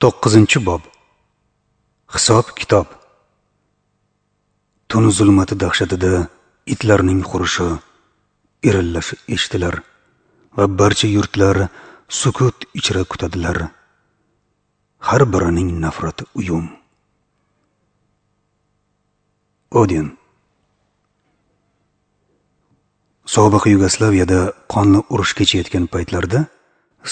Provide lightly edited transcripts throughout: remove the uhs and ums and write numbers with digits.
9-bob. Hisob-kitob. Tun zulmati dahshatida itlarning hurishi, irillashi eshitilar va barcha yurtlar sukut ichra kutadilar. Har birining nafrati uyum. Odin. Sobiq Yugoslaviyada qonli urush kechayotgan paytlarda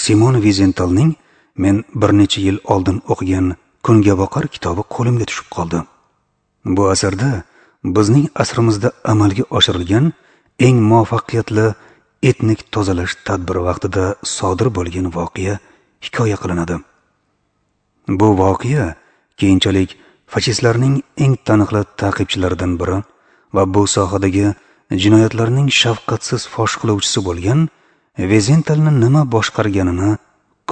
Simon Vizentalning men bir necha yil oldin o'qigan Kungaboqar kitobi qo'limga tushib qoldi. Bu asarda bizning asrimizda amalga oshirilgan eng muvaffaqiyatli etnik tozalash tadbiri vaqtida sodir bo'lgan voqea hikoya qilinadi. Bu voqea keyinchalik fashistlarning eng taniqli ta'qibchilaridan biri va bu sohadagi jinoyatlarning shafqatsiz fosh qiluvchisi bo'lgan Vizentalni nima boshqarganini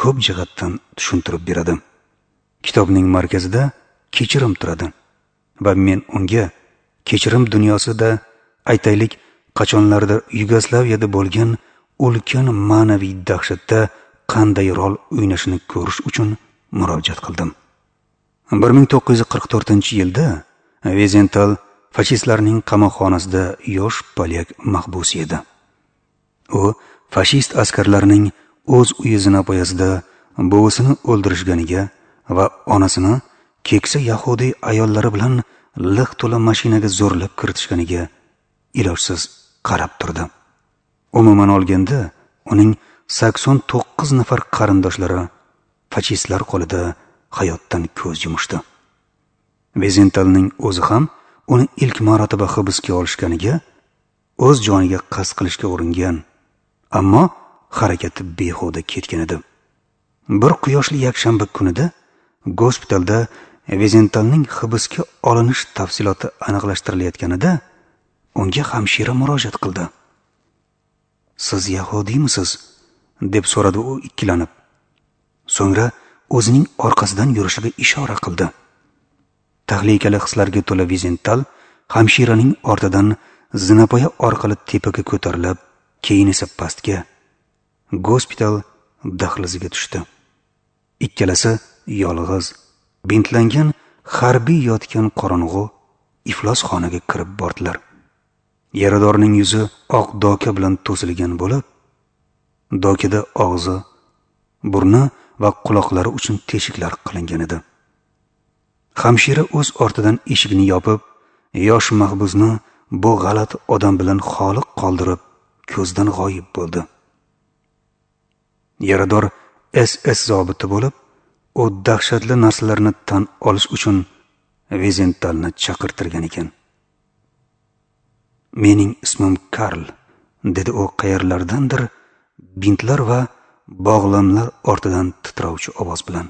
ko'p jihatdan tushuntirib beradi. Kitobning markazida kechirim turadi va men unga kechirim dunyosida, aytaylik, qachonlardir Yugoslaviyada bo'lgan ulkan ma'naviy dahshatda qanday rol o'ynashini ko'rish uchun murojaat qildim. 1944-yilda Vizental fashistlarning qamoqxonasida yosh polyak mahbusi edi. U fashist askarlarining o'z uyi zinapoyasida buvisini o'ldirishganiga va onasini keksa yahudiy ayollari bilan liq to'la mashinaga zo'rlab kiritishganiga ilojsiz qarab turdi. Umuman olganda, uning 89 nafar qarindoshlari fashistlar qo'lida hayotdan ko'z yumishdi. Vizentalning o'zi ham uni ilk marotaba hibsga olishganiga, o'z joniga qasd qilishga uringan, ammo harakati behuda ketgan edi. Bir quyoshli yakshanba kunida gospitalda Vizentalning hibsga olinish tafsiloti aniqlashtirilayotganida unga hamshira murojaat qildi. "Siz yahudiymisiz?" deb so'radi u ikkilanib. So'ngra o'zining orqasidan yurishiga ishora qildi. Tahlikali hislarga to'la Vizental hamshiraning ortidan zinapoya orqali tepaga ko'tarilib, keyin esa pastga, gospital dahliziga tushdi. Ikkalasi yolg'iz, bintlangan harbiy yotgan qorong'u iflos xonaga kirib bordilar. Yaradorning yuzi oq doka bilan to'silgan bo'lib, dokada og'zi, burni va quloqlari uchun teshiklar qilingan edi. Hamshira o'z ortidan eshikni yopib, yosh mahbusni bu g'alati odam bilan xoli qoldirib, ko'zdan g'oyib bo'ldi. Yarador SS zobiti bo'lib, u dahshatli narsalarni tan olish uchun Vizentalni chaqirtirgan ekan. "Mening ismim Karl", dedi u qayerlardandir bintlar va bog'lamlar ortidan titrovchi ovoz bilan.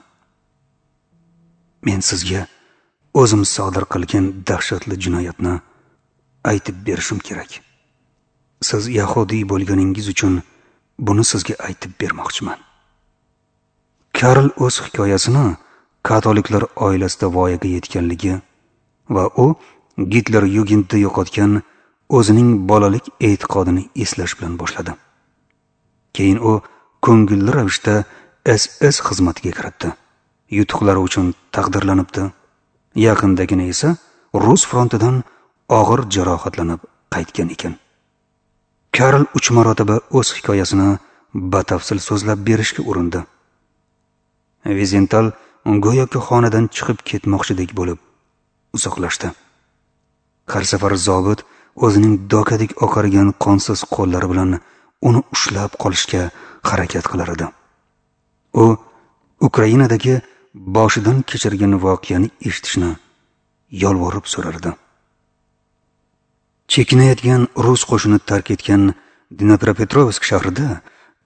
"Men sizga o'zim sodir qilgan dahshatli jinoyatni aytib berishim kerak. Siz yahudiy bo'lganingiz uchun buni sizga aytib bermoqchiman." Karl o'z hikoyasini katoliklar oilasida voyaga yetganligi va u Gitler Yugendda yo'qotgan o'zining bolalik e'tiqodini eslash bilan boshladi. Keyin u ko'ngilli ravishda SS xizmatiga kiritdi. Yutuqlari uchun taqdirlanibdi. Yaqindagina esa rus frontidan og'ir jarohatlanib qaytgan ekan. Karl 3 marotaba o'z hikoyasini batafsil so'zlab berishga urindi. Vizental go'yoki xonadan chiqib ketmoqchidek bo'lib uzoqlashdi. Har safar zobit o'zining dokadek oqargan qonsiz qo'llari bilan uni ushlab qolishga harakat qilar edi. U Ukrainadagi boshidan kechirgan voqeani eshitishni yolvorib so'rardi. Chekinayotgan rus qo'shini tark etgan Dnepropetrovsk shahrida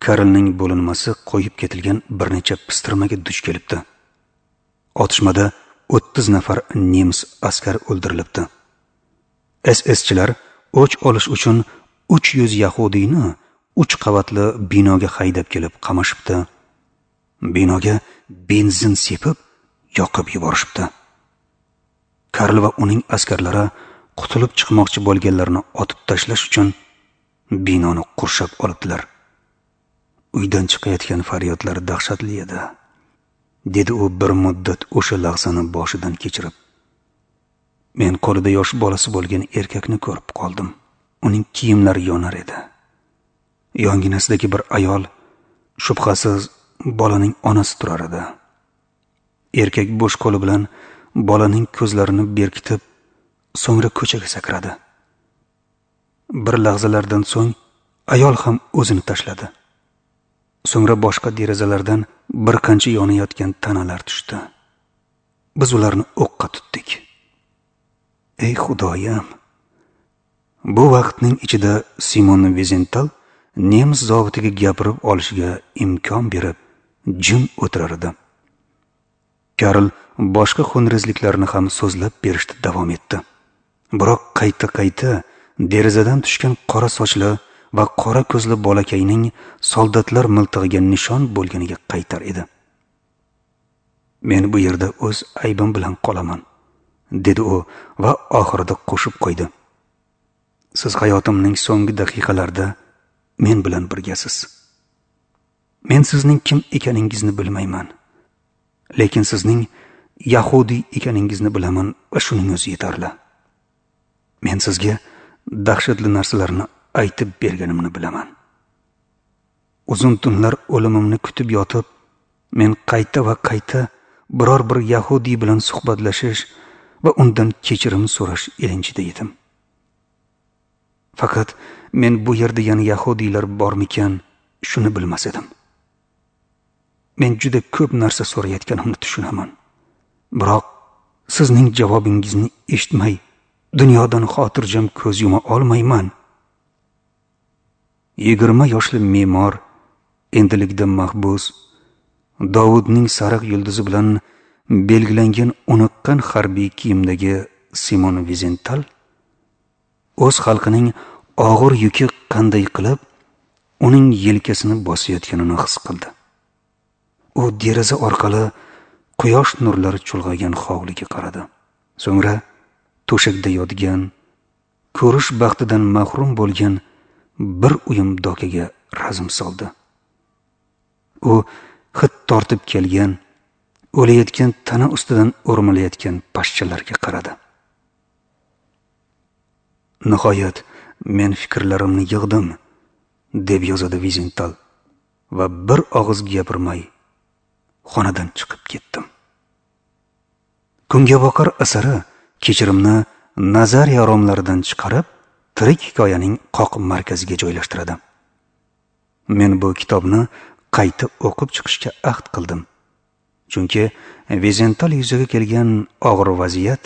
Karlning bo'linmasi qo'yib ketilgan bir necha pistirmaga duch kelibdi. Otishmada 30 nafar nemis askari o'ldirilibdi. SSchilar o'ch olish uchun 300 yahudiyni 3 qavatli binoga haydab kelib qamashibdi. Binoga benzin sepib yoqib yuborishibdi. Karl va uning askarlari qutulib chiqmoqchi bo'lganlarni otib tashlash uchun binoni qurshab olibdilar. Uydan chiqayotgan faryodlar dahshatli edi. dedi u bir muddat o'sha lahzani boshidan kechirib. Men qo'lida yosh bolasi bo'lgan erkakni ko'rib qoldim. Uning kiyimlari yonar edi. Yonginasidagi bir ayol, shubhasiz bolaning onasi turar edi. Erkak bo'sh qo'li bilan bolaning ko'zlarini berkitib, so'ngra ko'chaga sakradi. Bir lahzalardan so'ng ayol ham o'zini tashladi. So'ngra boshqa derazalardan bir qancha yonayotgan tanalar tushdi. Biz ularni o'qqa tutdik. Ey Xudoyim! Bu vaqtning ichida Simon Vizental nemis zobitiga gapirib olishiga imkon berib, jim o'tirar edi. Karl boshqa xunrezliklarni ham so'zlab berishda davom etdi. Biroq qayta-qayta derazadan tushgan qora sochli va qora ko'zli bolakayning soldatlar miltig'iga nishon bo'lganiga qaytar edi. Men bu yerda o'z aybim bilan qolaman, dedi u va oxirida qo'shib qo'ydi. Siz hayotimning so'nggi daqiqalarida men bilan birgasiz. Men sizning kim ekaningizni bilmayman, lekin sizning yahudiy ekaningizni bilaman va shuning o'zi yetarli. Men sizga dahshatli narsalarni aytib berganimni bilaman. Uzun tunlar o'limimni kutib yotib, men qayta va qayta biror bir yahudiy bilan suhbatlashish va undan kechirim so'rash ilinjida edim. Faqat men bu yerda yana yahudiylar bormikan, shuni bilmas edim. Men juda ko'p narsa so'rayotganimni tushunaman. Biroq sizning javobingizni eshitmay dunyodan xotirjam ko'z yuma olmayman. 20 yoshli me'mor, endilikda mahbus, Davudning sariq yulduzi bilan belgilangan uniqqan harbiy kiyimdagi Simon Vizental o'z xalqining og'ir yuki qanday qilib uning yelkasini bosayotganini his qildi. U deraza orqali quyosh nurlari chulg'agan hovliga qaradi. So'ngra to'shakda yotgan, ko'rish baxtidan mahrum bo'lgan bir uyum dokaga razm soldi. U hid tortib kelgan, o'layotgan tana ustidan o'rmalayotgan pashshalarga qaradi. Nihoyat men fikrlarimni yig'dim, deb yozadi Vizental va bir og'iz gapirmay xonadan chiqib ketdim. Kungaboqar asari kechirimni nazariya romlaridan chiqarib, tirik hikoyaning qoq markaziga joylashtiradi. Men bu kitobni qayta o'qib chiqishga ahd qildim. Chunki Vizental yuzaga kelgan og'ir vaziyat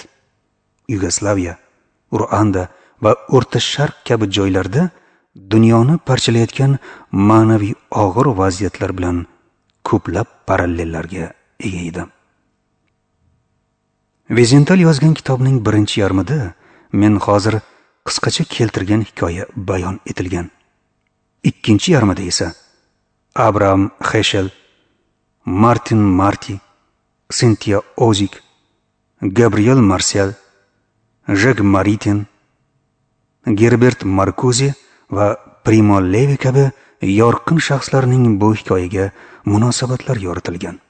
Yugoslaviya, Ruanda va O'rta Sharq kabi joylarda dunyoni parchalayotgan ma'naviy og'ir vaziyatlar bilan ko'plab parallellarga ega edi. Vizental yozgan kitobning birinchi yarmida men hozir qisqacha keltirgan hikoya bayon etilgan. Ikkinchi yarmida esa Abraham Heschel, Martin Marty, Cynthia Ozick, Gabriel Marcel, Jacques Maritain, Gerbert Marcuse va Primo Levi kabi yorqin shaxslarning bu hikoyaga munosabatlar yoritilgan.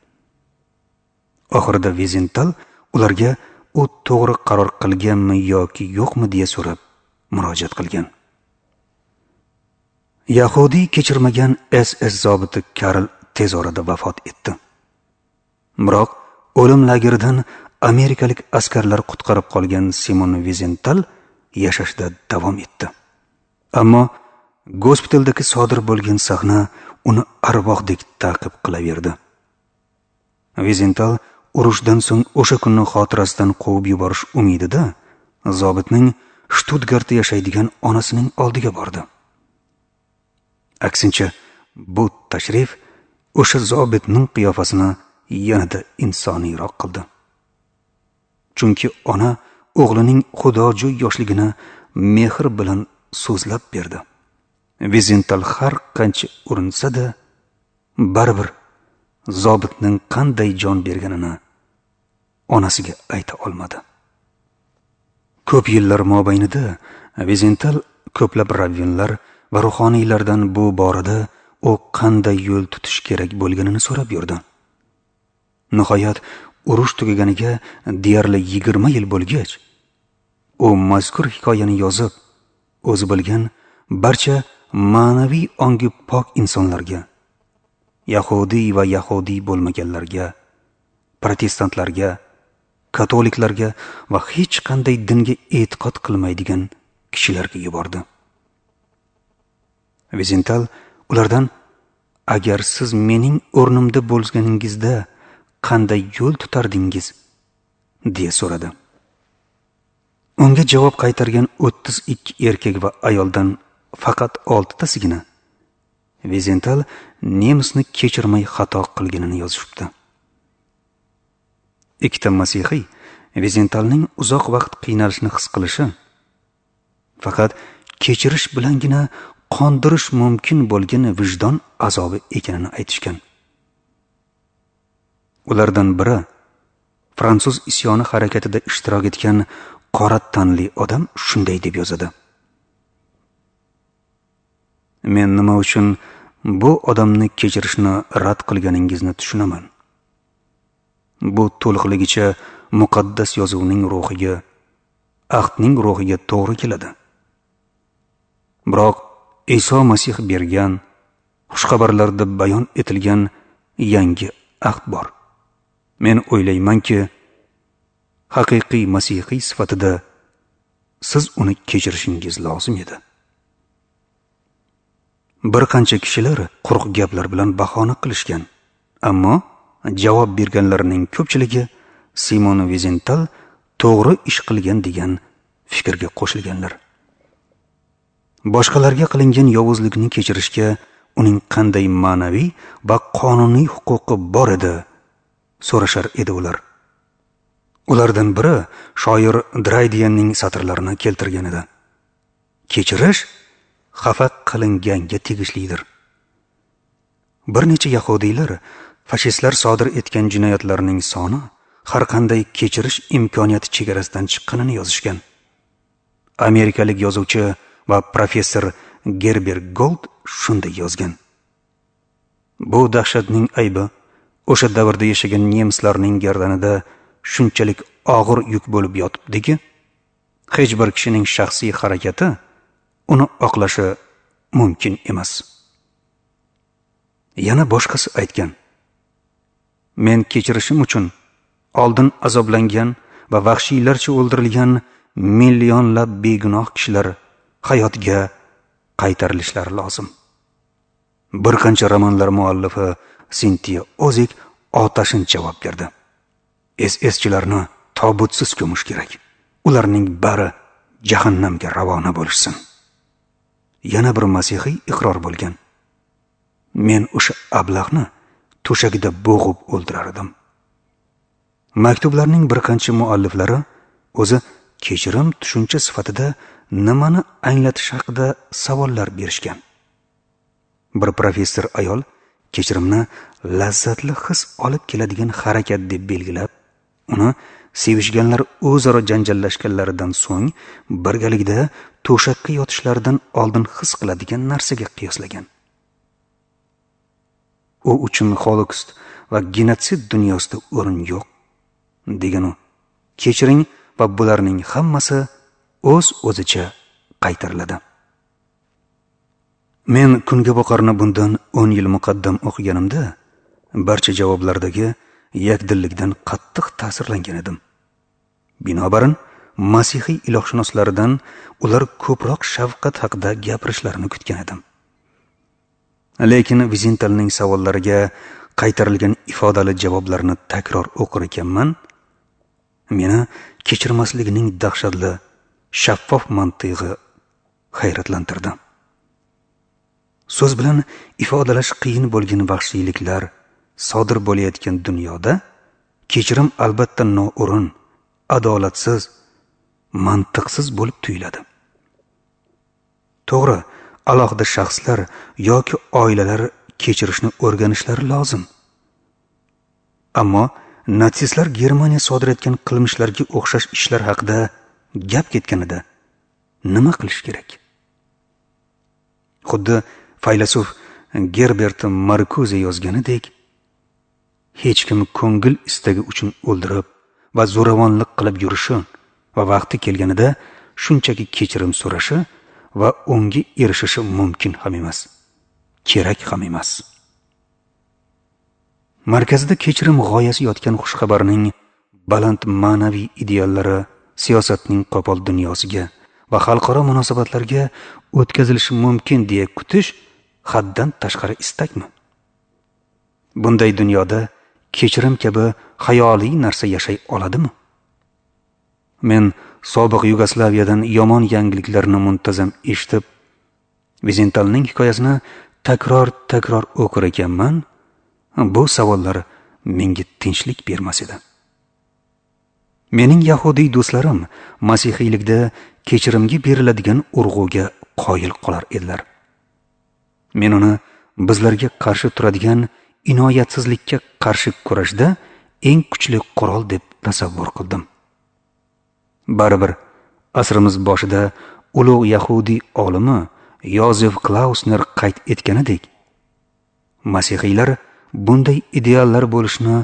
Oxirida Vizental ularga u to'g'ri qaror qilganmi yoki yo'qmi deya so'rab murojaat qilgan. Yahudiy kechirmagan SS zobiti Karl tez orada vafot etdi. Biroq o'lim lageridan amerikalik askarlar qutqarib qolgan Simon Vizental yashashda davom etdi. Ammo gospitaldagi sodir bo'lgan sahna uni arvohdek ta'qib qilaverdi. Vizental urushdan so'ng o'sha kunni xotirasidan quvib yuborish umidida zobitning Shtutgartda yashaydigan onasining oldiga bordi. Aksincha, bu tashrif o'sha zobitning qiyofasini yanada insoniyroq qildi. Chunki ona o'g'lining xudojo'y yoshligini mehr bilan so'zlab berdi. Vizental har qancha urinsa-da, baribir zobitning qanday jon berganini onasiga ayta olmadi. Ko'p yillar mobaynida Vizental ko'plab ravvinlar va ruhoniylardan bu borada u qanday yo'l tutish kerak bo'lganini so'rab yurdi. Nihoyat urush tugaganiga deyarli 20 yil bo'lgach, u mazkur hikoyani yozib, o'zi bilgan barcha ma'naviy ongi pok insonlarga, yahudiy va yahudiy bo'lmaganlarga, protestantlarga, katoliklarga va hech qanday dinga e'tiqod qilmaydigan kishilarga yubordi. Vizental ulardan: "Agar siz mening o'rnimda bo'lganingizda qanday yo'l tutardingiz?" deya so'radi. Unga javob qaytargan 32 erkak va ayoldan faqat 6 tasigina Vizental nemisni kechirmay xato qilganini yozishibdi. Ikkita masihiy Vizentalning uzoq vaqt qiynalishini his qilishi, faqat kechirish bilangina qondirish mumkin bo'lgan vijdon azobi ekanini aytishgan. Ulardan biri fransuz isyoni harakatida ishtirok etgan qora tanli odam shunday deb yozadi: "Men nima uchun bu odamni kechirishni rad qilganingizni tushunaman. Bu to'liqligicha muqaddas yozuvning ruhiga, ahdning ruhiga to'g'ri keladi. Biroq Iso Masih bergan xushxabarlarda bayon etilgan yangi ahd bor. Men o'ylaymanki, haqiqiy masihiy sifatida siz uni kechirishingiz lozim edi." Bir qancha kishilar quruq gaplar bilan bahona qilishgan, ammo javob berganlarning ko'pchiligi Simon Vizental to'g'ri ish qilgan degan fikrga qo'shilganlar. Boshqalarga qilingan yovuzlikni kechirishga uning qanday ma'naviy va qonuniy huquqi bor edi, so'rashar edi ular. Ulardan biri shoir Draydiyanning satrlarini keltirgan edi: "Kechirish xafa qilinganga tegishlidir." Bir necha yahudiylar fashistlar sodir etgan jinoyatlarning soni har qanday kechirish imkoniyati chegarasidan chiqqanini yozishgan. Amerikalik yozuvchi va professor Gerber Gold shunday yozgan: "Bu dahshatning aybi o'sha davrda yashagan nemislarning gardanida shunchalik og'ir yuk bo'lib yotibdiki, hech bir kishining shaxsiy harakati uni oqlashi mumkin emas." Yana boshqasi aytgan: "Men kechirishim uchun oldin azoblangan va vahshiylarcha o'ldirilgan millionlab begunoh kishilar hayotga qaytarilishlari lozim." Bir qancha romanlar muallifi Sintiya Ozik otashin javob berdi: "SS-chilarni tobutsiz ko'mish kerak. Ularning bari jahannamga ravona bo'lishsin." Yana bir masihiy iqror bo'lgan: "Men o'sha ablahni to'shagida bo'g'ib o'ldirar edim." Maktublarning bir qancha mualliflari o'zi kechirim tushuncha sifatida nimani anglatish haqida savollar berishgan. Bir professor ayol kechirimni lazzatli his olib keladigan harakat deb belgilab, uni sevishganlar o'zaro janjallashganlaridan so'ng birgalikda to'shakka yotishlaridan oldin his qiladigan narsaga qiyoslagan. U uchun Holokost va genotsid dunyosida o'rin yo'q, degan u. Kechiring va bularning hammasi o'z-o'zicha qaytariladi. Men Kunga boqarni bundan 10 yil muqaddam o'qiganimda barcha javoblardagi yakdillikdan qattiq ta'sirlangan edim. Binobarin, masihiy ilohshunoslaridan ular ko'proq shafqat haqida gapirishlarini kutgan edim. Lekin Vizentalning savollariga qaytarilgan ifodali javoblarni takror o'qir ekanman, meni kechirmasligining dahshatli, shaffof mantig'i hayratlantirdi. So'z bilan ifodalash qiyin bo'lgan vahshiyliklar sodir bo'layotgan dunyoda kechirim albatta noo'rin, adolatsiz, mantiqsiz bo'lib tuyuladi. To'g'ri, alohida shaxslar yoki oilalar kechirishni o'rganishlari lozim. Ammo natsistlar Germaniya sodir etgan qilmishlarga o'xshash ishlar haqida gap ketganida nima qilish kerak? Xuddi faylasuf Gerbert Markuze yozganidek, Hech kim ko'ngil istagi uchun o'ldirib va zo'ravonlik qilib yurishi va vaqti kelganida shunchaki kechirim so'rashi va unga erishishi mumkin ham emas, kerak ham emas. Markazida kechirim g'oyasi yotgan xushxabarning baland ma'naviy ideallari siyosatning qo'pol dunyosiga va xalqaro munosabatlarga o'tkazilishi mumkin deya kutish haddan tashqari istakmi? Bunday dunyoda kechirim kabi xayoliy narsa yashay oladimi? Men sobiq Yugoslaviyadan yomon yangiliklarni muntazam eshitib, Vizentalning hikoyasini takror-takror o'qir ekanman, bu savollar menga tinchlik bermas edi. Mening yahudiy do'stlarim masihiylikda kechirimga beriladigan urg'uga qoyil qolar edilar. Men uni bizlarga qarshi turadigan inoyatsizlikka qarshi kurashda eng kuchli qurol deb tasavvur qildim. Baribir asrimiz boshida ulug' yahudiy olimi Yozef Klausner qayd etganidek, masihiylar bunday ideallar bo'lishini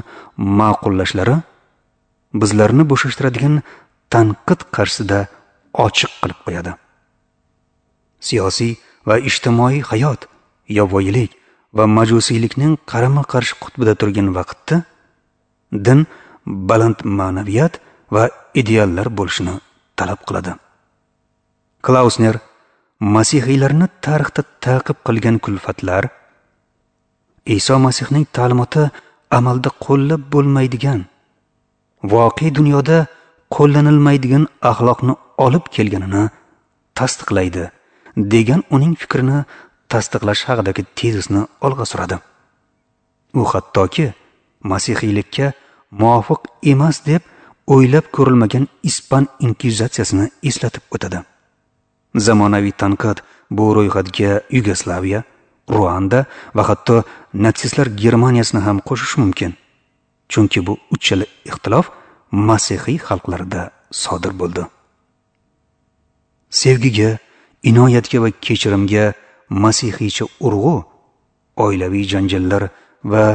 ma'qullashlari bizlarni bo'shashtiradigan tanqid qarshisida ochiq qilib qo'yadi. Siyosiy va ijtimoiy hayot yovvoyilik va majusiylikning qarama-qarshi qutbida turgan vaqtda din baland ma'naviyat va ideallar bo'lishini talab qiladi. Klausner masihiylarni tarixda ta'qib qilgan kulfatlar Iso Masihning ta'limoti amalda qo'llab bo'lmaydigan, voqea dunyoda qo'llanilmaydigan axloqni olib kelganini tasdiqlaydi degan uning fikrini tasdiqlash haqidagi tezisni olg'a suradi. U hattoki masihiylikka muvofiq emas deb o'ylab ko'rilmagan ispan inkvizitsiyasini eslatib o'tadi. Zamonaviy tanqid bu ro'yxatga Yugoslaviya, Ruanda va hatto natsistlar Germaniyasini ham qo'shish mumkin. Chunki bu uchala ixtilof masihiy xalqlarida sodir bo'ldi. Sevgiga, inoyatga va kechirimga masihiycha urg'u oilaviy janjallar va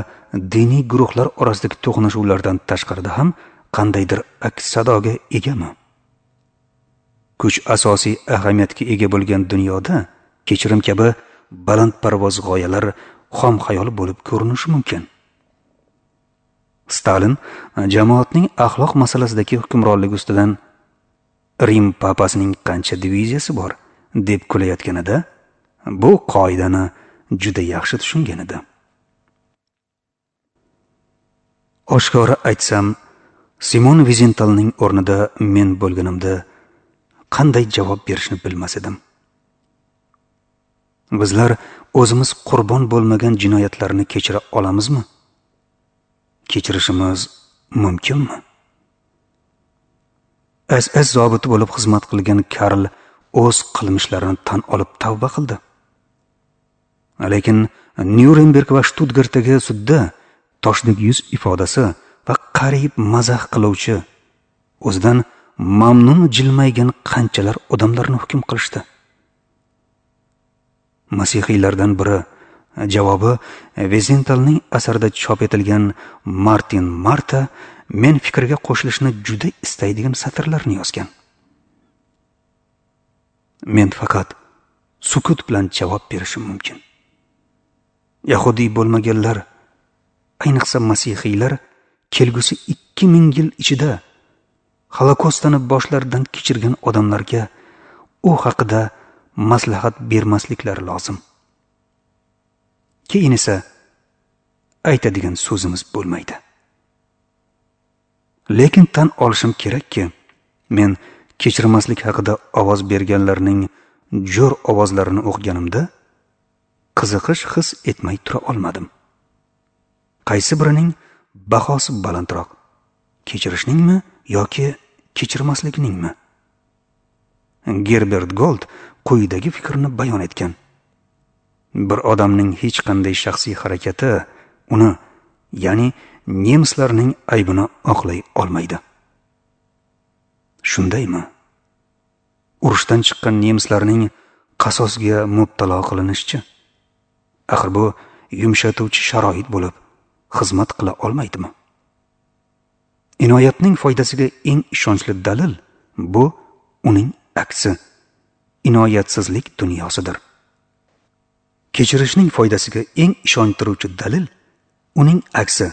diniy guruhlar orasidagi to'qnashuvlardan tashqarida ham qandaydir aks sadoga egami? Kuch asosiy ahamiyatga ega bo'lgan dunyoda kechirim kabi balandparvoz g'oyalar xom xayol bo'lib ko'rinishi mumkin. Stalin jamoatning axloq masalasidagi hukmronligi ustidan Rim papasining qancha diviziyasi bor deb kulayotganida bu qoidani juda yaxshi tushungan edi. Oshkora aytsam, Simon Vizentalning o'rnida men bo'lganimda qanday javob berishni bilmas edim. Bizlar o'zimiz qurbon bo'lmagan jinoyatlarni kechira olamizmi? Kechirishimiz mumkinmi? SS zobiti bo'lib xizmat qilgan Karl o'z qilmishlarini tan olib tavba qildi. Lekin Nyurnberg va Shtutgartdagi sudda toshdek yuz ifodasi va qariyb mazax qiluvchi, o'zidan mamnun jilmaygan qanchalar odamlarni hukm qilishdi. Masihiylardan biri javobi Vizentalning asarida chop etilgan Martin Marta men fikrga qo'shilishni juda istaydigan satrlarni yozgan. Men faqat sukut bilan javob berishim mumkin. Yahudiy bo'lmaganlar, ayniqsa masihiylar kelgusi 2000 yil ichida Holokostni boshlaridan kechirgan odamlarga u haqida maslahat bermasliklari lozim. Keyin esa aytadigan so'zimiz bo'lmaydi. Lekin tan olishim kerakki, men kechirmaslik haqida ovoz berganlarning jo'r ovozlarini o'qiganimda qiziqish his etmay tura olmadim. Qaysi birining bahosi balandroq? Kechirishningmi yoki kechirmaslikningmi? Gerbert Gold quyidagi fikrni bayon etgan. Bir odamning hech qanday shaxsiy harakati uni, ya'ni nemislarning aybini oqlay olmaydi. Shundaymi? Urushdan chiqqan nemislarning qasosga mubtalo qilinishichi? Axir bu yumshatuvchi sharoit bo'lib, xizmat qila olmaydimi? Inoyatning foydasiga eng ishonchli dalil bu uning aksi, inoyatsizlik dunyosidir. Kechirishning foydasiga eng ishontiruvchi dalil uning aksi,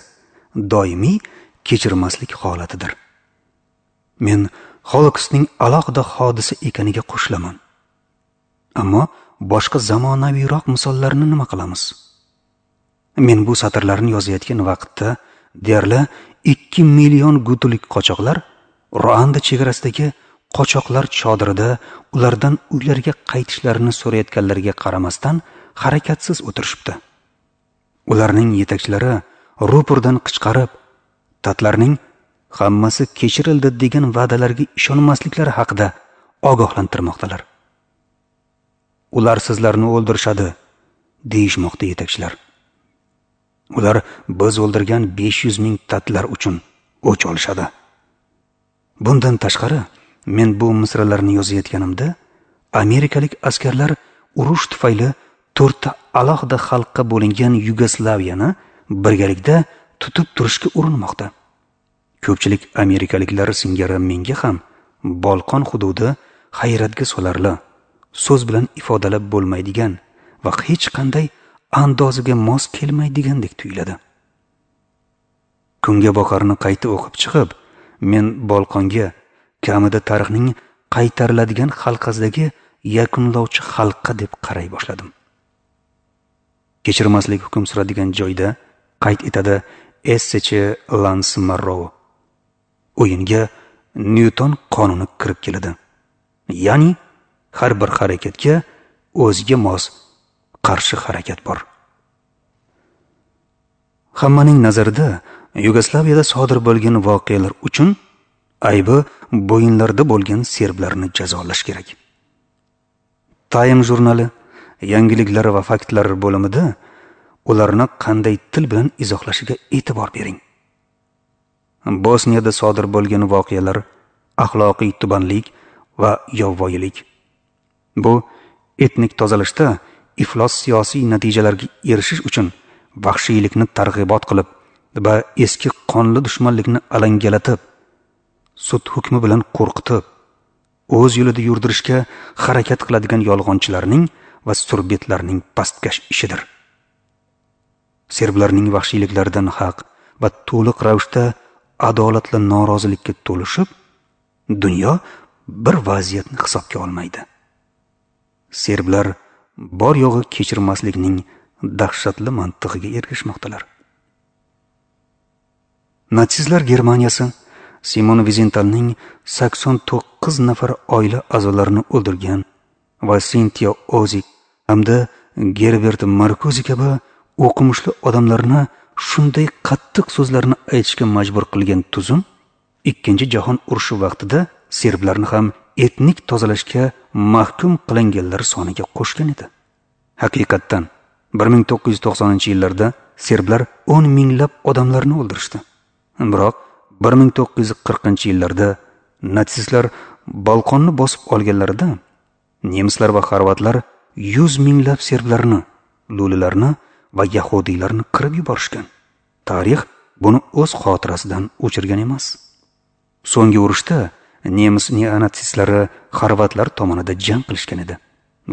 doimiy kechirmaslik holatidir. Men Holokostning alohida hodisa ekaniga qo'shilaman. Ammo boshqa zamonaviyroq misollarni nima qilamiz? Men bu satrlarni yozayotgan vaqtda deyarli 2 million gutulik qochoqlar Ruanda chegarasidagi qochoqlar chodirida ulardan uylariga qaytishlarini so'rayotganlarga qaramasdan harakatsiz o'tirishibdi. Ularning yetakchilari rupordan qichqirib, tatlarning hammasi kechirildi degan va'dalarga ishonmasliklari haqida ogohlantirmoqdalar. Ular sizlarni o'ldirishadi, deyishmoqda yetakchilar. Ular biz o'ldirgan 500 ming tatlar uchun o'ch olishadi. Bundan tashqari, men bu misralarni yozayotganimda amerikalik askarlar urush tufayli 4 ta alohida xalqqa bo'lingan Yugoslaviyani birgalikda tutib turishga urinmoqda. Ko'pchilik amerikaliklar singari menga ham Bolqon hududi hayratga solarli, so'z bilan ifodalab bo'lmaydigan va hech qanday andozaga mos kelmaydigandek tuyuladi. Kunga boqarni qayta o'qib chiqib, men Bolqonga kamida tarixning qaytariladigan halqasidagi yakunlovchi halqa deb qaray boshladim. Kechirmaslik hukm suradigan joyda qayd etadi essechi Lans Marrou. O'yinga Nyuton qonuni kirib keladi. Ya'ni har bir harakatga o'ziga mos qarshi harakat bor. Hammaning nazarida Yugoslaviyada sodir bo'lgan voqealar uchun aybi bo'yinlarda bo'lgan serblarni jazolash kerak. Time jurnali yangiliklar va faktlar bo'limida ularni qanday til bilan izohlashiga e'tibor bering. Bosniyada sodir bo'lgan voqealar axloqiy tubanlik va yovvoyilik. Bu etnik tozalashda iflos siyosiy natijalarga erishish uchun vahshiylikni targ'ibot qilib va eski qonli dushmanlikni alangalatib, sud hukmi bilan qo'rqitib, o'z yo'lida yurdirishga harakat qiladigan yolg'onchilarning va surbetlarning pastkash ishidir. Serblarning vahshiyliklaridan haq va to'liq ravishda adolatli norozilikka to'lishib, dunyo bir vaziyatni hisobga olmaydi. Serblar bor yo'g'i kechirmaslikning dahshatli mantig'iga ergashmoqdalar. Natsistlar Germaniyasi Simon Vizentalning 89 nafar oila a'zolarini o'ldirgan va Sintiya Ozik hamda Gerbert Markuzi kabi o'qimishli odamlarni shunday qattiq so'zlarni aytishga majbur qilgan tuzum Ikkinchi jahon urushi vaqtida serblarni ham etnik tozalashga mahkum qilinganlar soniga qo'shgan edi. Haqiqatdan 1990-yillarda serblar 10 minglab odamlarni o'ldirishdi. Biroq 1940-yillarda natsistlar Bolqonni bosib olganlarida nemislar va xorvatlar 100 minglab serblarni, lulilarni va yahudiylarni qirib yuborishgan. Tarix buni o'z xotirasidan o'chirgan emas. So'nggi urushda nemis neonatsistlari xorvatlar tomonida jang qilishgan edi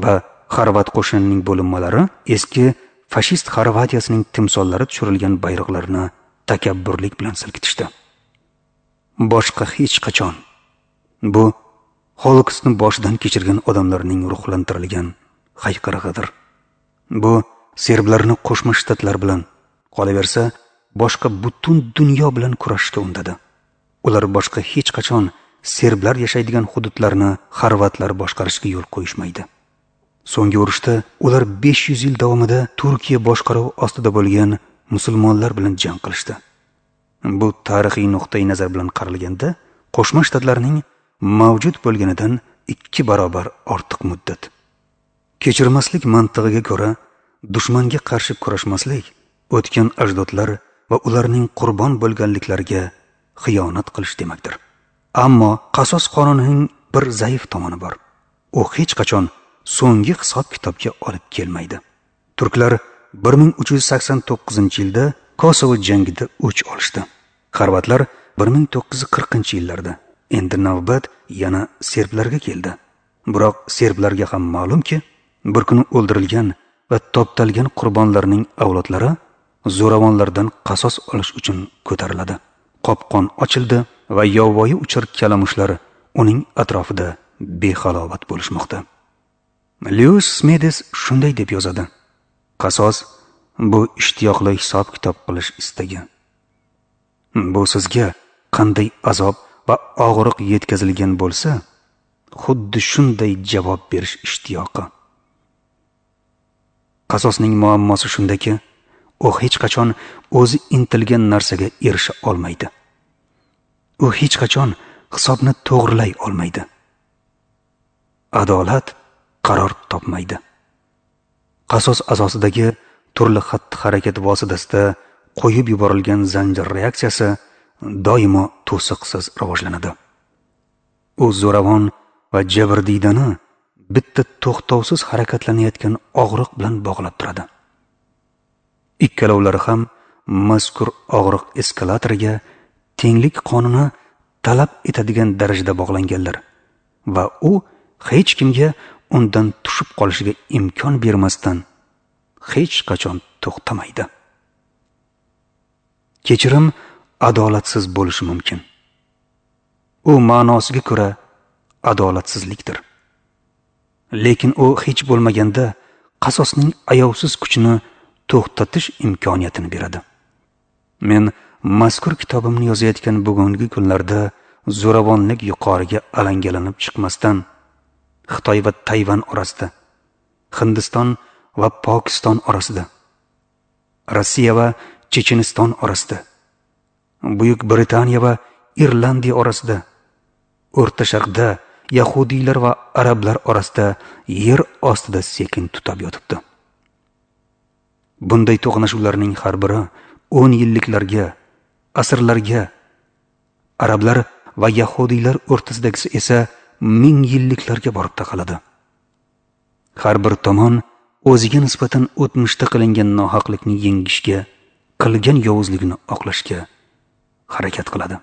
va xorvat qo'shinining bo'linmalari eski fashist Xorvatiyasining timsollari tushirilgan bayroqlarni takabburlik bilan silkitishdi. Boshqa hech qachon bu Holokostni boshidan kechirgan odamlarning ruhlantirilgan hayqirig'idir. Bu serblarni Qo'shma Shtatlar bilan, qolaversa boshqa butun dunyo bilan kurashishga undadi. Ular boshqa hech qachon serblar yashaydigan hududlarni xorvatlar boshqarishga yo'l qo'yishmaydi. So'nggi urushda ular 500 yil davomida Turkiya boshqaruvi ostida bo'lgan musulmonlar bilan jang qilishdi. Bu tarixiy nuqtai nazar bilan qaralganda Qo'shma Shtatlarning mavjud bo'lganidan 2 barobar ortiq muddat. Kechirmaslik mantig'iga ko'ra, dushmanga qarshi kurashmaslik o'tgan ajdodlar va ularning qurbon bo'lganliklariga xiyonat qilish demakdir. Ammo qasos qonunining bir zaif tomoni bor. U hech qachon so'nggi hisob-kitobga olib kelmaydi. Turklar 1389-yilda Kosovo jangida o'ch olishdi. Xorvatlar 1940-yillarda. Endi navbat yana serblarga keldi. Biroq serblarga ham ma'lumki, bir kuni o'ldirilgan va toptalgan qurbonlarning avlodlari zo'ravonlardan qasos olish uchun ko'tariladi. Qopqon ochildi va yovvoyi uchar kalamushlar uning atrofida behalovat bo'lishmoqda. Lewis Smedes shunday deb yozadi: qasos bu ishtiyoqli hisob-kitob qilish istagi. Bu sizga qanday azob va og'riq yetkazilgan bo'lsa, xuddi shunday javob berish ishtiyoqi. Qasosning muammosi shundaki, u hech qachon o'zi intilgan narsaga erisha olmaydi. U hech qachon hisobni to'g'rilay olmaydi. Adolat qaror topmaydi. Qasos asosidagi turli xatti-harakat vositasida qo'yib yuborilgan zanjir reaksiyasi doimo to'siqsiz rivojlanadi. U zo'ravon va jabrdiydani bitta to'xtovsiz harakatlanayotgan og'riq bilan bog'lab turadi. Ikkalovlari ham mazkur og'riq eskalatoriga tenglik qonuni talab etadigan darajada bog'langanlar va u hech kimga undan tushib qolishiga imkon bermasdan hech qachon to'xtamaydi. Kechirim adolatsiz bo'lishi mumkin. U ma'nosiga ko'ra adolatsizlikdir. Lekin u hech bo'lmaganda qasosning ayovsiz kuchini to'xtatish imkoniyatini beradi. Men mazkur kitobimni yozayotgan bugungi kunlarda zo'ravonlik yuqoriga alangalanib chiqmasdan Xitoy va Tayvan orasida, Hindiston va Pokiston orasida, Rossiya va Checheniston orasida, Buyuk Britaniya va Irlandiya orasida, O'rta Sharqda yahudiylar va arablar orasida yer ostida sekin tutab yotibdi. Bunday to'qnashuvlarning har biri 10 yilliklarga, asrlarga, arablar va yahudiylar o'rtasidagisi esa 1000 yilliklarga borib taqaladi. Har bir tomon o'ziga nisbatan o'tmishda qilingan nohaqlikni yengishga, qilgan yovuzligini oqlashga harakat qiladi.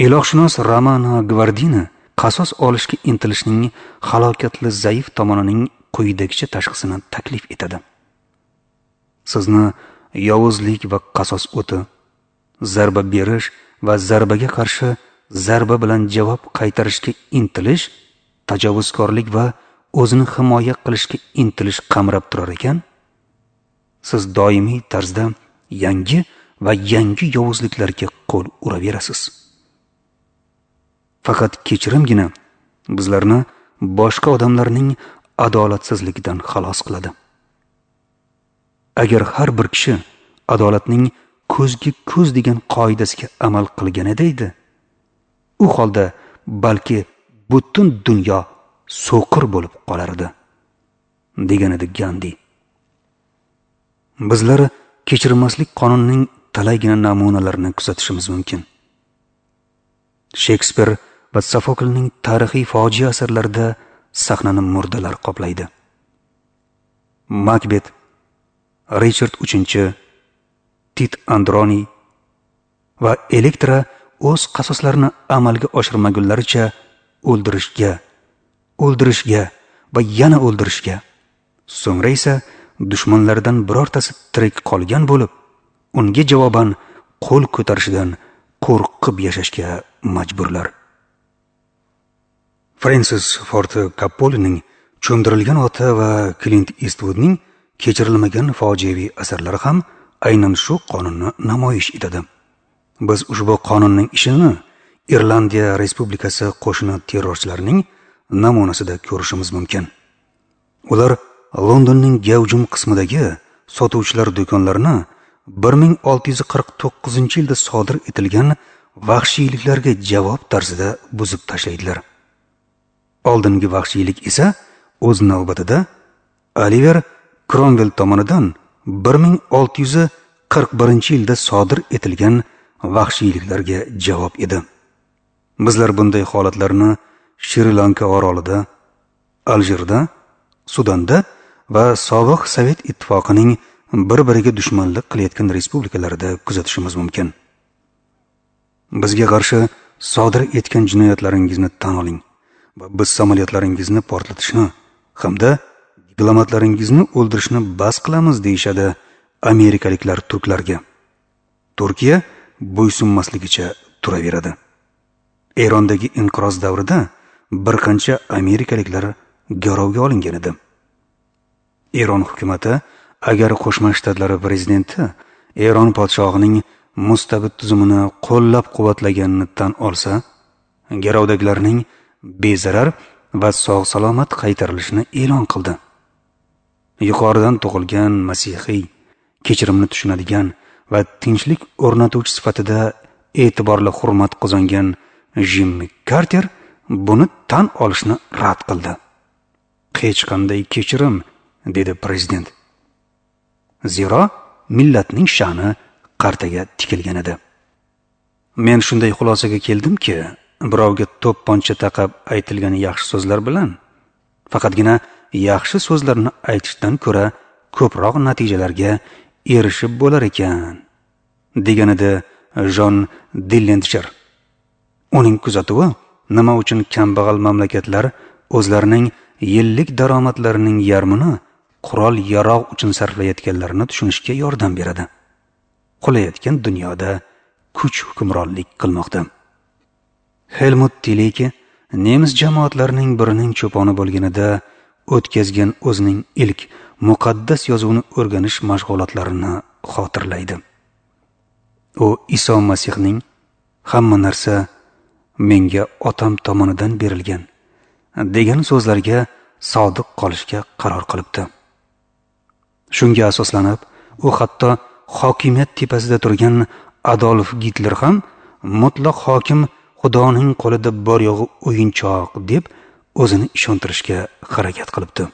Ilohshunos Romano Gvardini qasos olishga intilishning halokatli zaif tomonining quyidagicha tashxisini taklif etadi. Sizni yovuzlik va qasos o'ti, zarba berish va zarbaga qarshi zarba bilan javob qaytarishga intilish, tajovuzkorlik va o'zini himoya qilishga intilish qamrab turar ekan, siz doimiy tarzda yangi va yangi yovuzliklarga qo'l uraverasiz. Faqat kechirimgina bizlarni boshqa odamlarning adolatsizligidan xalos qiladi. Agar har bir kishi adolatning ko'zga ko'z degan qoidasiga amal qilganida edi, u holda balki butun dunyo so'qir bo'lib qolardi, degan edi Gandhi. Bizlar kechirmaslik qonunining talaygina namunalarini kuzatishimiz mumkin. Shekspir va Sofoklning tarixiy fojia asarlarida sahnani murdalar qoplaydi. Makbet, Richard III, Tit Androni va Elektra o'z qasoslarini amalga oshirmagunlaricha o'ldirishga, o'ldirishga va yana o'ldirishga, so'ngra esa dushmanlaridan birortasi tirik qolgan bo'lib, unga javoban qo'l ko'tarishidan qo'rqib yashashga majburlar. Frensis Ford Koppolining Cho'mdirilgan ota va Klint Istvudning kechirilmagan fojiaviy asarlari ham aynan shu qonunni namoyish etadi. Biz ushbu qonunning ishini Irlandiya Respublikasi qo'shini terrorchilarining namunasida ko'rishimiz mumkin. Ular Londonning gavjum qismidagi sotuvchilar do'konlarini 1649-yilda sodir etilgan vahshiyliklarga javob tarzida buzib tashlaydilar. Oldingi vahshiylik esa o'z navbatida Oliver Cromwell tomonidan 1641-yilda sodir etilgan vahshiyliklarga javob edi. Bizlar bunday holatlarni Shri-Lanka orolida, Aljirda, Sudanda va sobiq Sovet ittifoqining bir-biriga dushmanlik qilayotgan respublikalarda kuzatishimiz mumkin. Bizga qarshi sodir etgan jinoyatlaringizni tan oling va biz samolyotlaringizni portlatishni hamda diplomatlaringizni o'ldirishni bas qilamiz deyishadi amerikaliklar turklarga. Turkiya bo'ysunmasligicha turaveradi. Erondagi inqiroz davrida bir qancha amerikaliklar garovga olingan edi. Eron hukumati agar Qo'shma Shtatlari prezidenti Eron podshohining mustabid tuzumini qo'llab-quvvatlaganini tan olsa, garovdagilarning bezarar va sog'-salomat qaytarilishini e'lon qildi. Yuqoridan tug'ilgan masihiy, kechirimni tushunadigan va tinchlik o'rnatuvchi sifatida e'tiborli hurmat qozongan Jimmi Karter buni tan olishni rad qildi. Hech qanday kechirim, dedi prezident. Zero millatning sha'ni qartaga tikilgan edi. Men shunday xulosaga keldimki, birovga to'pponcha taqab aytilgan yaxshi so'zlar bilan faqatgina yaxshi so'zlarni aytishdan ko'ra ko'proq natijalarga erishib bo'lar ekan, deganida Jon Dillinger. Uning kuzatuvi nima uchun kambag'al mamlakatlar o'zlarining yillik daromadlarining yarmini qurol-yarog' uchun sarflayotganlarini tushunishga yordam beradi. Qulayotgan dunyoda kuch hukmronlik qilmoqda. Helmut Tileke nemis jamoatlarining birining cho'poni bo'lganida o'tkazgan o'zining ilk muqaddas yozuvni o'rganish mashg'ulotlarini xotirlaydi. U Iso Masihning hamma narsa menga otam tomonidan berilgan degan so'zlarga sodiq qolishga qaror qilibdi. Shunga asoslanib, u hatto hokimiyat tepasida turgan Adolf Gitler ham mutlaq hokim Xudoning qo'lida bor yo'g'i o'yinchoq deb o'zini ishontirishga harakat qilibdi.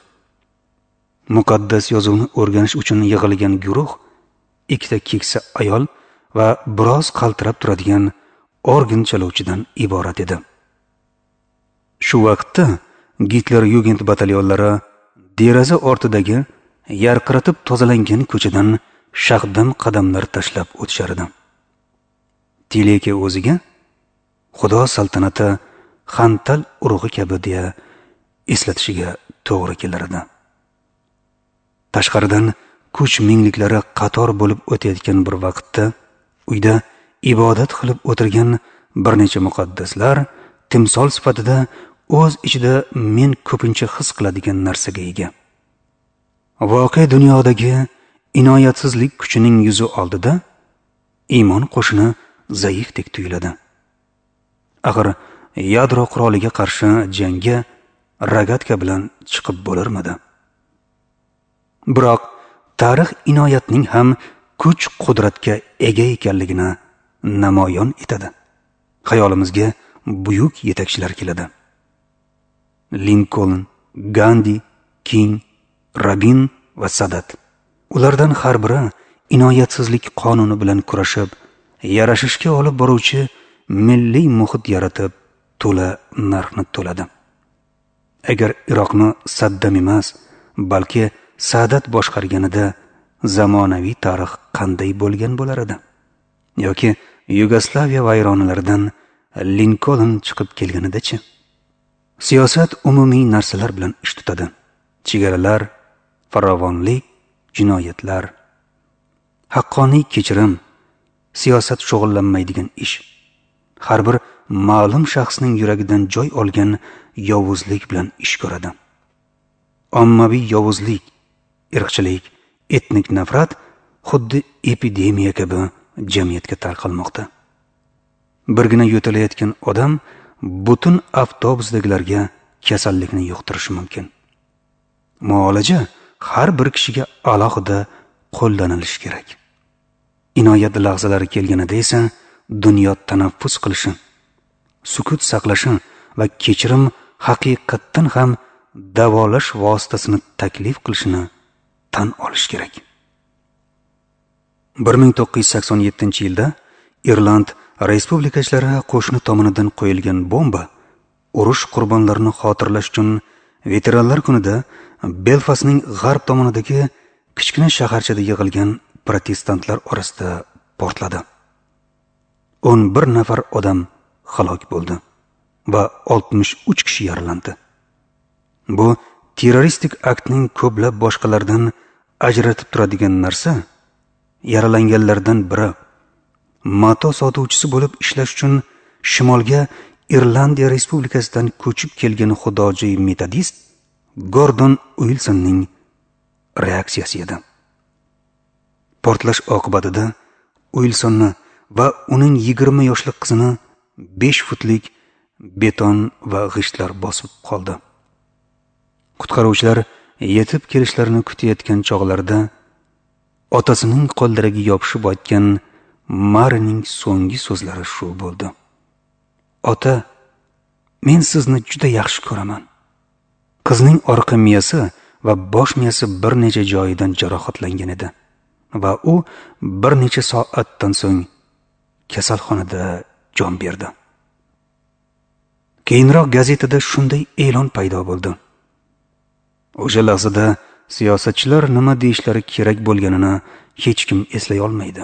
Muqaddas yozuvni o'rganish uchun yig'ilgan guruh ikkita keksa ayol va biroz qaltirab turadigan organ chaluvchidan iborat edi. Shu vaqtda Gitler Jugend batalyonlari deraza ortidagi yarqiratib tozalangan ko'chadan shaqdam qadamlar tashlab o'tishar edi. Tileke o'ziga Xudo saltanati xantal urug'i kabi deya eslatishiga to'g'ri kelar edi. Tashqaridan kuch mingliklari qator bo'lib o'tayotgan bir vaqtda uyda ibodat qilib o'tirgan bir necha muqaddaslar timsol sifatida o'z ichida men ko'pincha his qiladigan narsaga ega. Voqea dunyodagi inoyatsizlik kuchining yuzi oldida iymon qo'shini zaifdek tuyuladi. Axir yadro quroliga qarshi jangga rogatka bilan chiqib bo'larmidi? Biroq tarix inoyatning ham kuch-qudratga ega ekanligini namoyon etadi. Xayolimizga buyuk yetakchilar keladi. Linkoln, Gandhi, King, Rabin va Sadat. Ulardan har biri inoyatsizlik qonuni bilan kurashib, yarashishga olib boruvchi milliy muhit yaratib, to'la narxni to'ladi. Agar Iroqni Saddam emas, balki Sadat boshqarganida zamonaviy tarix qanday bo'lgan bo'lar edi? Yoki Yugoslaviya vayronalaridan Linkoln chiqib kelganida-chi? Siyosat umumiy narsalar bilan ish tutadi. Chegaralar, farovonlik, jinoyatlar, haqqoniy kechirim, siyosat shug'ullanmaydigan ish. Har bir ma'lum shaxsning yuragidan joy olgan yovuzlik bilan ish ko'radi. Ommaviy yovuzlik, irqchilik, etnik nafrat xuddi epidemiya kabi jamiyatga tarqalmoqda. Birgina yo'talayotgan odam butun avtobusdagilarga kasallikni yuqtirishi mumkin. Muolaja har bir kishiga alohida qo'llanilishi kerak. Inoyat lahzalari kelganida esa dunyo tanaffus qilishi, sukut saqlashi va kechirim haqiqatdan ham davolash vositasini taklif qilishini tan olish kerak. 1987-yilda Irland respublikachilari qo'shni tomonidan qo'yilgan bomba urush qurbonlarini xotirlash uchun veteranlar kunida Belfastning g'arb tomonidagi kichkina shaharchada yig'ilgan protestantlar orasida portladi. 11 nafar odam halok bo'ldi va 63 kishi yaralandi. Bu terroristik aktning ko'plab boshqalardan ajratib turadigan narsa, yaralanganlardan biri mato sotuvchisi bo'lib ishlash uchun shimolga Irlandiya Respublikasidan ko'chib kelgan xudojo'y metodist Gordon Uilsonning reaksiyasi edi. Portlash oqibatida Uilsonni va uning 20 yoshli qizini 5 futlik beton va g'ishtlar bosib qoldi. Qutqaruvchilar yetib kelishlarini kutayotgan chog'larda otasining qo'llariga yopishib aytgan Marining so'nggi so'zlari shu bo'ldi: "Ota, men sizni juda yaxshi ko'raman." Qizning orqa miyasi va bosh miyasi bir necha joyidan jarohatlangan edi va u bir necha soatdan so'ng kasalxonada jon berdi. Keyinroq gazetada shunday e'lon paydo bo'ldi. O'sha lahzada siyosatchilar nima deyishlari kerak bo'lganini hech kim eslay olmaydi.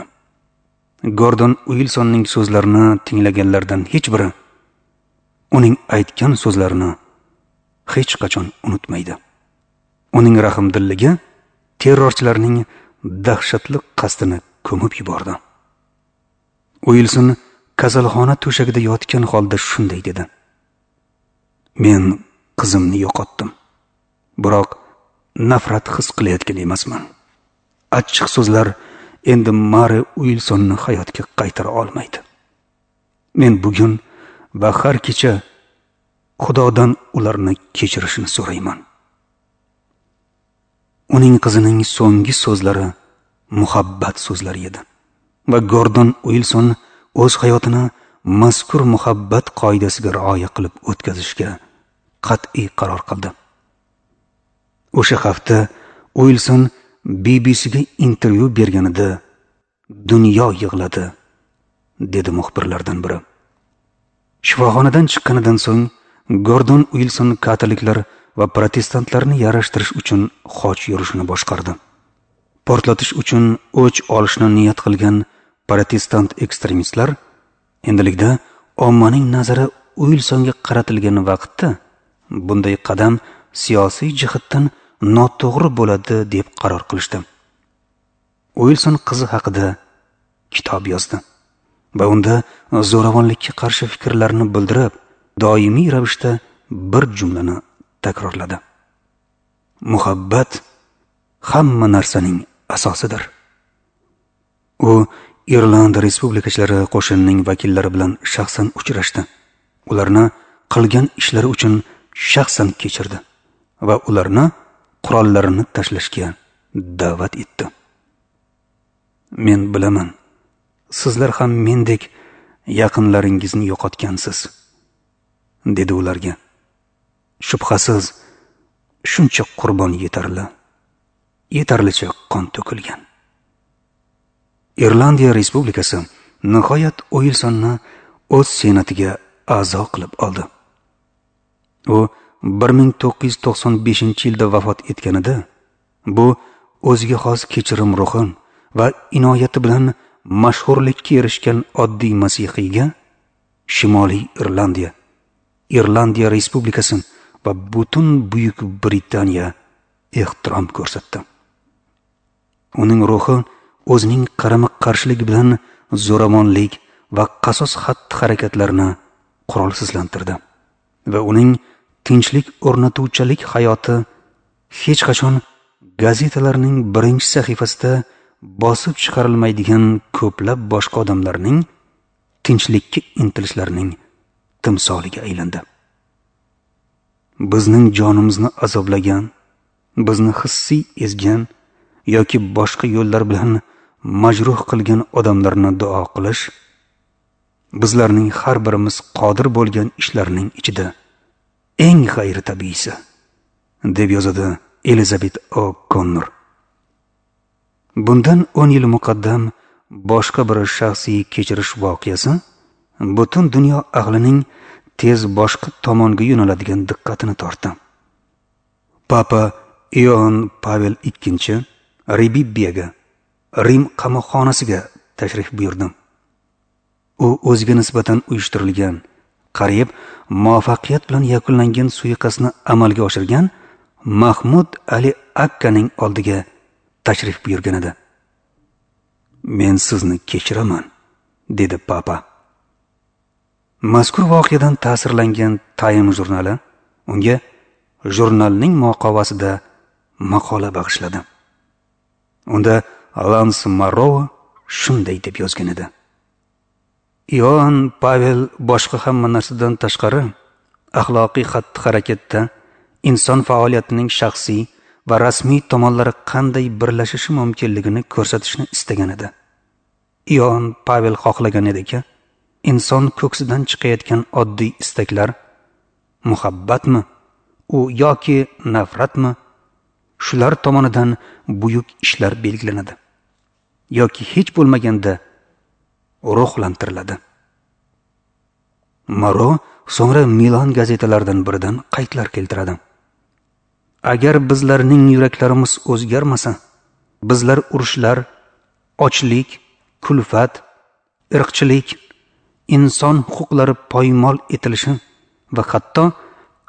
Gordon Uilsonning so'zlarini tinglaganlardan hech biri uning aytgan so'zlarini hech qachon unutmaydi. Uning rahmdilligi terrorchilarning dahshatli qasdini ko'mib yubordi. Uilson kasalxona to'shagida yotgan holda shunday dedi: "Men qizimni yo'qotdim. Biroq nafrat his qilayotgan emasman. Achchiq so'zlar endi Mari Uilsonni hayotga qaytara olmaydi. Men bugun va har kecha Xudodan ularni kechirishini so'rayman." Uning qizining so'nggi so'zlari muhabbat so'zlari edi va Gordon Uilson o'z hayotini mazkur muhabbat qoidasiga rioya qilib o'tkazishga qat'iy qaror qildi. O'sha hafta Uilson BBCga intervyu berganida "Dunyo yig'ladi", dedi muxbirlardan biri. Shifoxonadan chiqqanidan so'ng Gordon Uilson katoliklar va protestantlarni yarashtirish uchun xoch yurishini boshqardi. Portlatish uchun o'ch olishni niyat qilgan protestant ekstremistlar endilikda ommaning nazari Uilsonga qaratilgan vaqtda bunday qadam siyosiy jihatdan noto'g'ri bo'ladi deb qaror qilishdi. Uilson qizi haqida kitob yozdi va unda zo'ravonlikka qarshi fikrlarini bildirib, doimiy ravishda bir jumlani takrorladi: "Muhabbat hamma narsaning asosidir." U Irlandiya Respublikachilari qo'shinining vakillari bilan shaxsan uchrashdi. Ularni qilgan ishlari uchun shaxsan kechirdi va ularni qurollarini tashlashga da'vat etdi. "Men bilaman, sizlar ham mendek yaqinlaringizni yo'qotgansiz", dedi ularga. "Shubhasiz, shuncha qurbon yetarli, yetarlicha qon to'kilgan." Irlandiya Respublikasi nihoyat Uilsonni o'z senatiga a'zo qilib oldi. U 1995-yilda vafot etganida bu o'ziga xos kechirim ruhi va inoyati bilan mashhurlikka erishgan oddiy masihiyga Shimoliy Irlandiya, Irlandiya Respublikasi va butun Buyuk Britaniya ehtirom ko'rsatdi. Uning ruhi o'zining qarama-qarshiligi bilan zo'ravonlik va qasos xatti-harakatlarini qurolsizlantirdi va uning tinchlik o'rnatuvchilik hayoti hech qachon gazetalarning birinchi sahifasida bosib chiqarilmaydigan ko'plab boshqa odamlarning tinchlikka intilishlarining timsoliga aylandi. Bizning jonimizni azoblagan, bizni hissiy ezgan yoki boshqa yo'llar bilan majruh qilgan odamlarni duo qilish bizlarning har birimiz qodir bo'lgan ishlarning ichida eng g'ayritabiiysi, deb yozadi Elizabet O'Connor. Bundan 10 yil muqaddam boshqa bir shaxsiy kechirish voqeasi butun dunyo ahlining tez boshqa tomonga yo'naladigan diqqatini tortdi. Papa Ioann Pavel II Rebibbiyaga, Rim qamoqxonasiga tashrif buyurdi. U o'ziga nisbatan uyushtirilgan, qariyb muvaffaqiyat bilan yakunlangan suiqasdni amalga oshirgan Mahmud Ali Akkaning oldiga tashrif buyurgan edi. "Men sizni kechiraman", dedi papa. Mazkur voqeadan ta'sirlangan Time jurnali unga jurnalning muqovasida maqola bag'ishladi. Unda Lans Marro shunday deb yozgan edi: Ioann Pavel boshqa hamma narsadan tashqari axloqiy xatti-harakatda inson faoliyatining shaxsiy va rasmiy tomonlari qanday birlashishi mumkinligini ko'rsatishni istagan edi. Ioann Pavel xohlagan ediki, inson ko'ksidan chiqayotgan oddiy istaklar muhabbatmi u yoki nafratmi, shular tomonidan buyuk ishlar belgilanadi yoki hech bo'lmaganda ruhlantiriladi. Maro so'ngra Milan gazetalaridan biridan qaydlar keltiradi. Agar bizlarning yuraklarimiz o'zgarmasa, bizlar urushlar, ochlik, kulfat, irqchilik, inson huquqlari poymol etilishi va hatto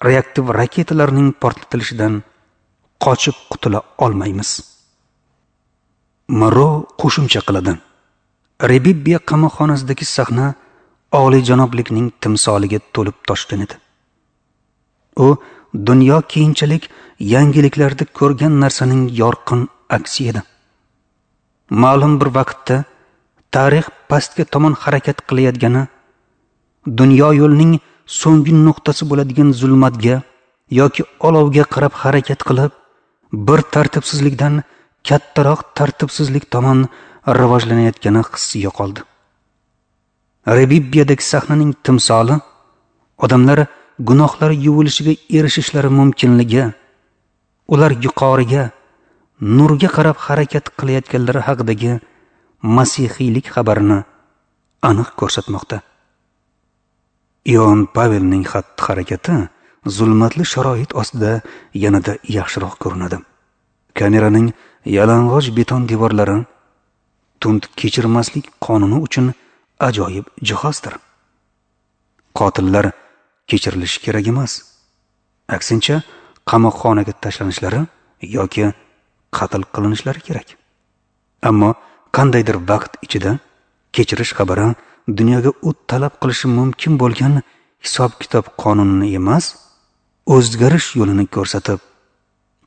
reaktiv raketalarning portlatilishidan qochib qutula olmaymiz. Maro qo'shimcha qiladi: Rebibbiya qamoqxonasidagi sahna oliyjanoblikning timsoliga to'lib toshgan edi. U dunyo keyinchalik yangiliklarda ko'rgan narsaning yorqin aksi edi. Ma'lum bir vaqtda tarix pastga tomon harakat qilayotgani, dunyo yo'lining so'nggi nuqtasi bo'ladigan zulmatga yoki olovga qarab harakat qilib, bir tartibsizlikdan kattaroq tartibsizlik tomon rivojlanayotgani hissi yo'qoldi. Rebibbiyadagi sahnaning timsoli odamlar gunohlari yuvilishiga erishishlari mumkinligi, ular yuqoriga, nurga qarab harakat qilayotganlari haqidagi masihiylik xabarini aniq ko'rsatmoqda. Ioann Pavelning xatti-harakati zulmatli sharoit ostida yanada yaxshiroq ko'rinadi. Kameraning yalang'och beton devorlari tund kechirmaslik qonuni uchun ajoyib jihozdir. Qotillar kechirilishi kerak emas. Aksincha, qamoqxonaga tashlanishlari yoki qatl qilinishlari kerak. Ammo qandaydir vaqt ichida kechirish xabari dunyoga u talab qilishi mumkin bo'lgan hisob-kitob qonunini emas, o'zgarish yo'lini ko'rsatib,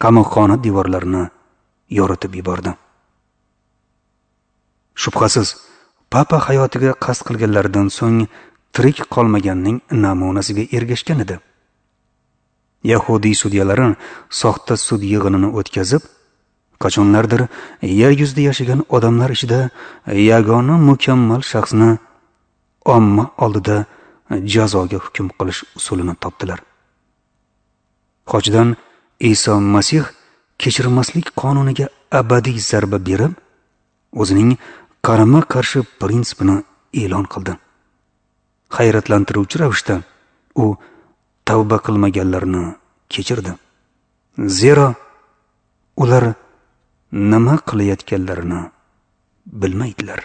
qamoqxona devorlarini yoritib yubordi. Shubhasiz, papa hayotiga qasd qilganlaridan so'ng tirik qolmaganning namunasiga ergashgan edi. Yahudiy sudyalari soxta sud yig'inini o'tkazib, qachonlardir yer yuzida yashagan odamlar ichida yagona mukammal shaxsni omma oldida jazoga hukm qilish usulini topdilar. Xochdan Iso Masih kechirmaslik qonuniga abadiy zarba berib, o'zining qarama-qarshi prinsipini e'lon qildi. Hayratlantiruvchi ravishda u tavba qilmaganlarni kechirdi. Zero ular nima qilayotganlarini bilmaydilar.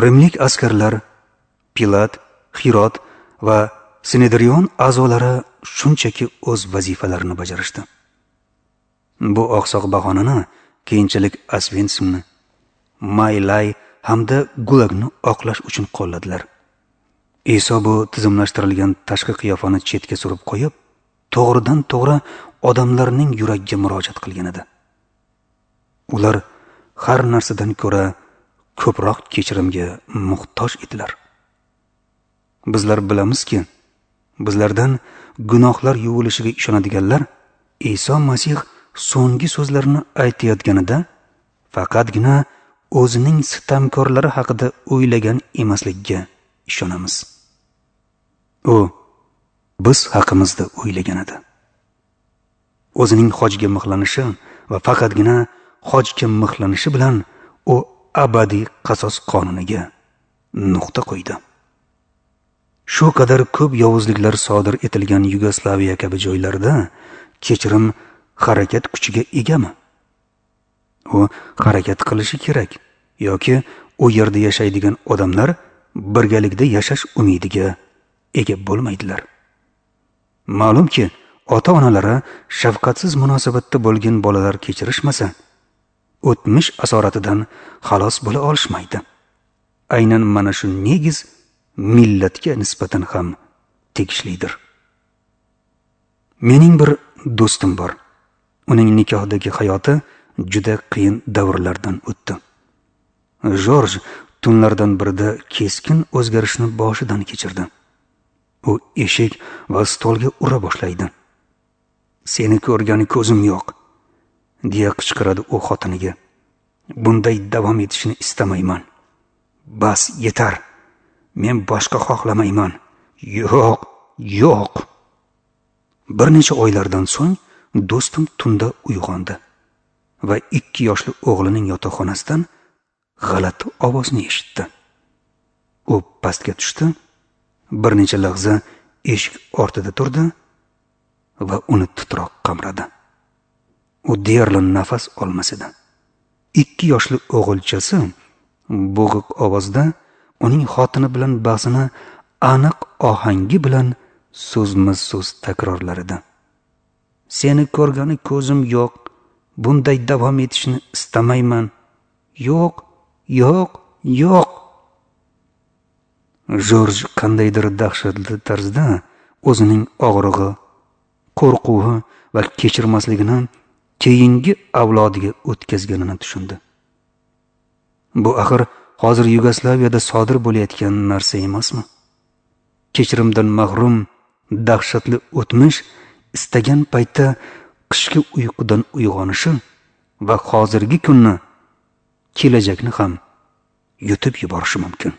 Rimlik askarlar, Pilat, Hirot va Sinedrion a'zolari shunchaki o'z vazifalarini bajarishdi. Bu oqsoq bahonani keyinchalik Osvensimni, Maylay hamda Gulagni oqlash uchun qo'lladilar. Iso bu tizimlashtirilgan tashqi qiyofani chetga surib qo'yib, to'g'ridan to'g'ri odamlarning yuragiga murojaat qilgan edi. Ular har narsadan ko'ra ko'proq kechirimga muhtoj edilar. Bizlar bilamizki, bizlardan gunohlar yuvilishiga ishonadiganlar Iso Masih so'nggi so'zlarini aytayotganida faqatgina o'zining sitamkorlari haqida o'ylagan emasligiga ishonamiz. U biz haqimizda o'ylagan edi. O'zining hojga mixlanishi va faqatgina hojga mixlanishi bilan u abadiy qasos qonuniga nuqta qo'ydi. Shu qadar ko'p yovuzliklar sodir etilgan Yugoslaviya kabi joylarda kechirim harakat kuchiga egami? U harakat qilishi kerak yoki u yerda yashaydigan odamlar birgalikda yashash umidiga ega bo'lmaydilar. Ma'lumki, ota-onalari shafqatsiz munosabatda bo'lgan bolalar kechirishmasa, o'tmish asoratidan xalos bo'la olishmaydi. Aynan mana shu negiz millatga nisbatan ham tegishlidir. Mening bir do'stim bor. Uning nikohdagi hayoti juda qiyin davrlardan o'tdi. Jorj tunlardan birida keskin o'zgarishni boshidan kechirdi. U eshik va stolga ura boshlaydi. "Seni ko'rgani ko'zim yo'q", deya qichqiradi u xotiniga. "Bunday davom etishini istamayman. Bas, yetar. Men boshqa xohlamayman. Yo'q, yo'q." Bir necha oylardan so'ng do'stim tunda uyg'ondi va 2 yoshli o'g'lining yotoqxonasidan g'alati ovozni eshitdi. U pastga tushdi, bir necha lahza eshik ortida turdi va uni titroq qamradi. U deyarli nafas olmas edi. 2 yoshli o'g'ilchasi bo'g'iq ovozda uning xotini bilan bahsini aniq ohangi bilan so'zma-so'z takrorlar edi. "Seni ko'rgani ko'zim yo'q. Bunday davom etishini istamayman. Yo'q, yo'q, yo'q." Jorj qandaydir dahshatli tarzda o'zining og'rig'i, qo'rquvi va kechirmasligini keyingi avlodiga o'tkazganini tushundi. Bu axir hozir Yugoslaviyada sodir bo'layotgan narsa emasmi? Kechirimdan mahrum dahshatli o'tmish istagan paytda qishki uyqudan uyg'onishi va hozirgi kunni, kelajakni ham yutib yuborishi mumkin.